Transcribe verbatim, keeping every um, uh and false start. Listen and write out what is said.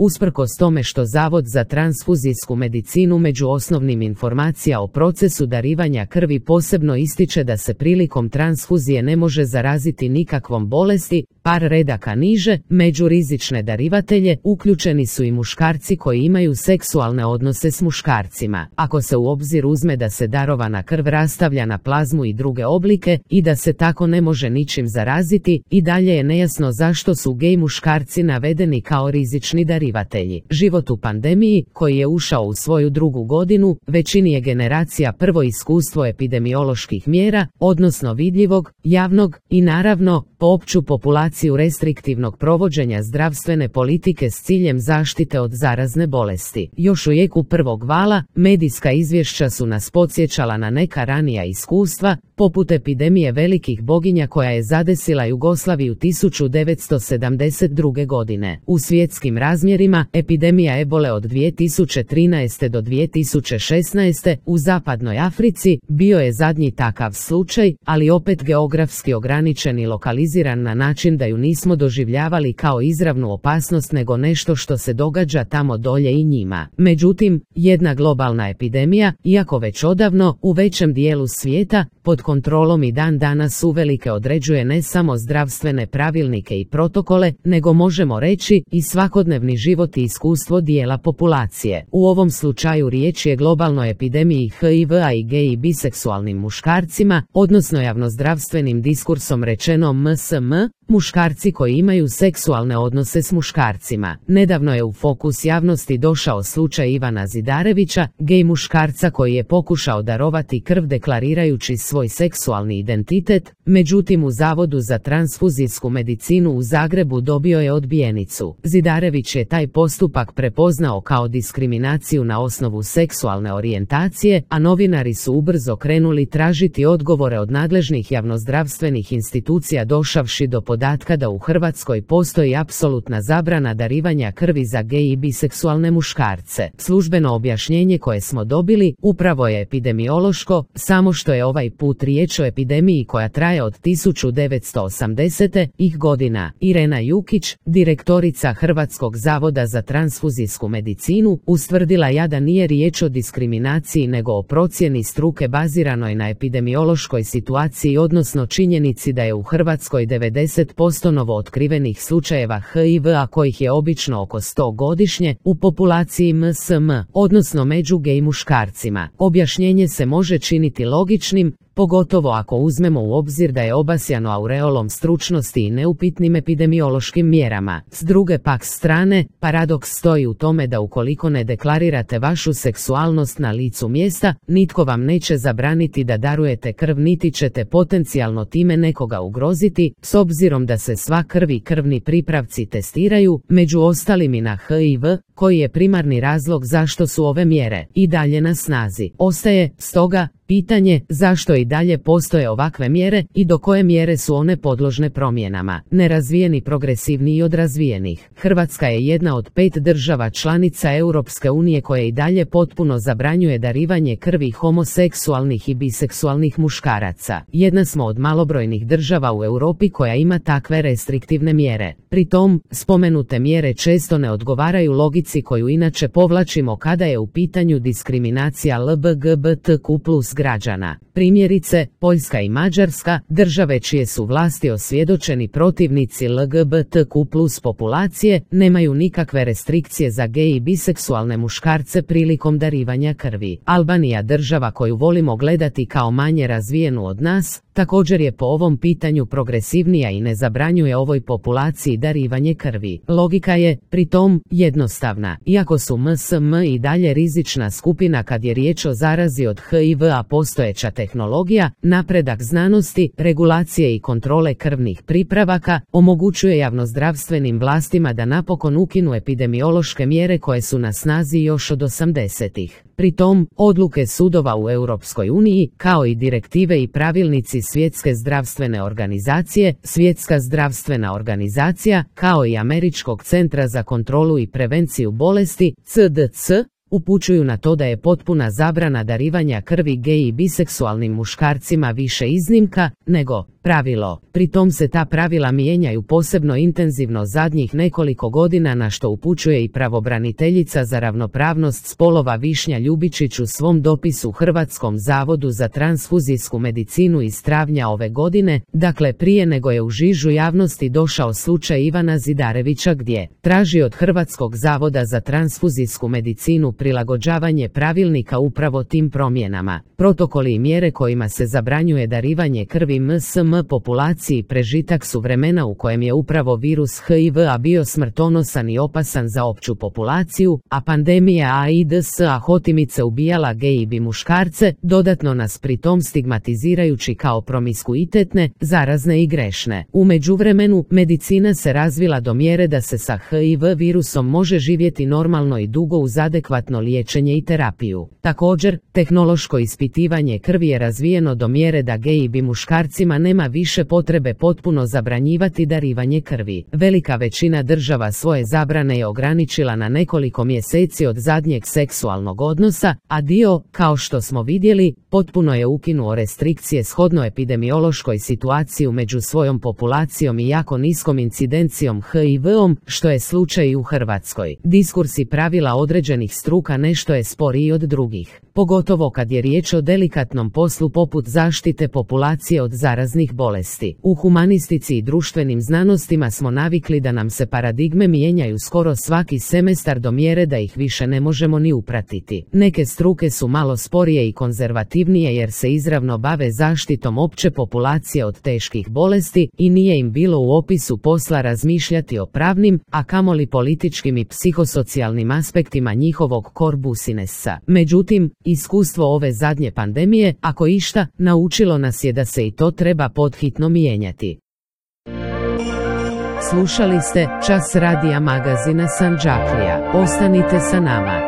Usprkos tome što Zavod za transfuzijsku medicinu među osnovnim informacija o procesu darivanja krvi posebno ističe da se prilikom transfuzije ne može zaraziti nikakvom bolesti, par redaka niže, među rizične darivatelje uključeni su i muškarci koji imaju seksualne odnose s muškarcima. Ako se u obzir uzme da se darovana krv rastavlja na plazmu i druge oblike i da se tako ne može ničim zaraziti, i dalje je nejasno zašto su gej muškarci navedeni kao rizični darivatelji. Život u pandemiji, koji je ušao u svoju drugu godinu, većini je generacija prvo iskustvo epidemioloških mjera, odnosno vidljivog, javnog i naravno po opću populaciju restriktivnog provođenja zdravstvene politike s ciljem zaštite od zarazne bolesti. Još u jeku prvog vala, medijska izvješća su nas podsjećala na neka ranija iskustva, poput epidemije velikih boginja koja je zadesila Jugoslaviju tisuću devetsto sedamdeset druge. godine. U svjetskim razmjerima, epidemija ebole od dvije tisuće trinaeste. do dvije tisuće šesnaeste. u zapadnoj Africi bio je zadnji takav slučaj, ali opet geografski ograničen i lokaliziran na način da ju nismo doživljavali kao izravnu opasnost nego nešto što se događa tamo dolje i njima. Međutim, jedna globalna epidemija, iako već odavno, u većem dijelu svijeta, pod kontrolom i dan danas uvelike određuje ne samo zdravstvene pravilnike i protokole, nego možemo reći i svakodnevni život i iskustvo dijela populacije. U ovom slučaju riječ je globalnoj epidemiji H I V-a i gej i biseksualnim muškarcima, odnosno javnozdravstvenim diskursom rečeno M S M, muškarci koji imaju seksualne odnose s muškarcima. Nedavno je u fokus javnosti došao slučaj Ivana Zidarevića, gej muškarca koji je pokušao darovati krv deklarirajući svoj seksualni identitet, međutim u Zavodu za transfuzijsku medicinu u Zagrebu dobio je odbijenicu. Zidarević je taj postupak prepoznao kao diskriminaciju na osnovu seksualne orijentacije, a novinari su ubrzo krenuli tražiti odgovore od nadležnih javnozdravstvenih institucija došavši do podatka da u Hrvatskoj postoji apsolutna zabrana darivanja krvi za gej i biseksualne muškarce. Službeno objašnjenje koje smo dobili upravo je epidemiološko, samo što je ovaj put riječ o epidemiji koja traje od tisuću devetsto osamdesete. ih godina. Irena Jukić, direktorica Hrvatskog zavoda za transfuzijsku medicinu, ustvrdila je da nije riječ o diskriminaciji nego o procjeni struke baziranoj na epidemiološkoj situaciji, odnosno činjenici da je u Hrvatskoj devedeset posto novootkrivenih slučajeva H I V-a kojih je obično oko sto godišnje u populaciji M S M, odnosno među gej muškarcima. Objašnjenje se može činiti logičnim, pogotovo ako uzmemo u obzir da je obasjano aureolom stručnosti i neupitnim epidemiološkim mjerama. S druge pak strane, paradoks stoji u tome da ukoliko ne deklarirate vašu seksualnost na licu mjesta, nitko vam neće zabraniti da darujete krv niti ćete potencijalno time nekoga ugroziti, s obzirom da se sva krv i krvni pripravci testiraju, među ostalim i na H I V, koji je primarni razlog zašto su ove mjere i dalje na snazi. Ostaje, stoga, pitanje zašto i dalje postoje ovakve mjere i do koje mjere su one podložne promjenama. Nerazvijeni progresivniji od razvijenih. Hrvatska je jedna od pet država članica Europske unije koje i dalje potpuno zabranjuje darivanje krvi homoseksualnih i biseksualnih muškaraca. Jedna smo od malobrojnih država u Europi koja ima takve restriktivne mjere. Pri tom, spomenute mjere često ne odgovaraju logici koju inače povlačimo kada je u pitanju diskriminacija L G B T Q plus građana. Primjerice, Poljska i Mađarska, države čije su vlasti osvjedočeni protivnici L G B T Q plus populacije, nemaju nikakve restrikcije za gej i biseksualne muškarce prilikom darivanja krvi. Albanija, država koju volimo gledati kao manje razvijenu od nas, također je po ovom pitanju progresivnija i ne zabranjuje ovoj populaciji darivanje krvi. Logika je, pri tom, jednostavna. Iako su M S M i dalje rizična skupina kad je riječ o zarazi od H I V-a, postojeća tehnologija, napredak znanosti, regulacije i kontrole krvnih pripravaka omogućuje javnozdravstvenim vlastima da napokon ukinu epidemiološke mjere koje su na snazi još od osamdesetih. Pri tom, odluke sudova u Europskoj uniji, kao i direktive i pravilnici Svjetske zdravstvene organizacije, Svjetska zdravstvena organizacija, kao i Američkog centra za kontrolu i prevenciju bolesti, C D C, upućuju na to da je potpuna zabrana darivanja krvi gej i biseksualnim muškarcima više iznimka, nego pravilo. Pri tom se ta pravila mijenjaju posebno intenzivno zadnjih nekoliko godina, na što upućuje i pravobraniteljica za ravnopravnost spolova Višnja Ljubičić u svom dopisu Hrvatskom zavodu za transfuzijsku medicinu iz travnja ove godine, dakle prije nego je u žižu javnosti došao slučaj Ivana Zidarevića, gdje traži od Hrvatskog zavoda za transfuzijsku medicinu prilagođavanje pravilnika upravo tim promjenama. Protokoli i mjere kojima se zabranjuje darivanje krvi M S M populaciji prežitak su vremena u kojem je upravo virus H I V-a bio smrtonosan i opasan za opću populaciju, a pandemija AIDS-a hotimice ubijala gej i bi muškarce, dodatno nas pritom stigmatizirajući kao promiskuitetne, zarazne i grešne. U međuvremenu, medicina se razvila do mjere da se sa H I V virusom može živjeti normalno i dugo uz adekvatno liječenje i terapiju. Također, tehnološko ispitivanje krvi je razvijeno do mjere da gej i bi muškarcima nema više potrebe potpuno zabranjivati darivanje krvi. Velika većina država svoje zabrane je ograničila na nekoliko mjeseci od zadnjeg seksualnog odnosa, a dio, kao što smo vidjeli, potpuno je ukinuo restrikcije shodno epidemiološkoj situaciji među svojom populacijom i jako niskom incidencijom H I V-om, što je slučaj i u Hrvatskoj. Diskursi pravila određenih struka nešto je sporiji od drugih, pogotovo kad je riječ o delikatnom poslu poput zaštite populacije od zaraznih bolesti. U humanistici i društvenim znanostima smo navikli da nam se paradigme mijenjaju skoro svaki semestar do mjere da ih više ne možemo ni upratiti. Neke struke su malo sporije i konzervativnije jer se izravno bave zaštitom opće populacije od teških bolesti i nije im bilo u opisu posla razmišljati o pravnim, a kamoli političkim i psihosocijalnim aspektima njihovog core businessa. Međutim, iskustvo ove zadnje pandemije, ako išta, naučilo nas je da se i to treba podhitno mijenjati. Slušali ste Čas radija magazina Sandžaklija. Ostanite sa nama.